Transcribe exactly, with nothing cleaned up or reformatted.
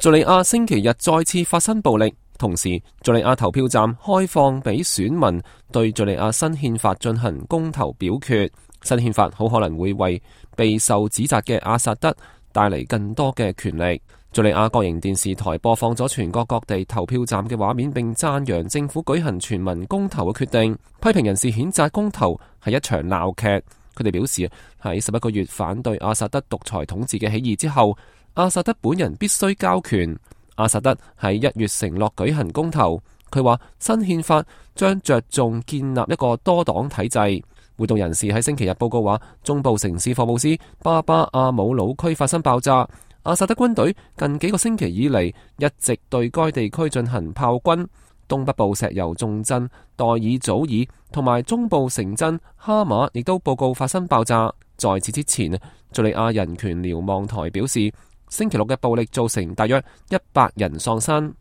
敘利亞星期日再次發生暴力，同時敘利亞投票站開放俾選民對敘利亞新憲法進行公投表決。新憲法好可能會為備受指責嘅阿薩德帶嚟更多嘅權力。敘利亞國營電視台播放咗全國各地投票站嘅畫面，並讚揚政府舉行全民公投嘅決定。批評人士譴責公投係一場鬧劇。佢哋表示喺十一個月反對阿薩德獨裁統治嘅起義之後，阿薩德本人必須交權。阿薩德喺一月承諾舉行公投，佢話新憲法將着重建立一個多黨體制。活動人士喺星期日報告話，中部城市霍姆斯巴巴阿姆魯區發生爆炸，阿薩德軍隊近幾個星期以嚟一直對該地區進行炮轟。東北部石油重鎮代爾祖爾同埋中部城鎮哈馬亦都報告發生爆炸。在此之前，敘利亞人權瞭望台表示，星期六嘅暴力造成大約一百人喪生。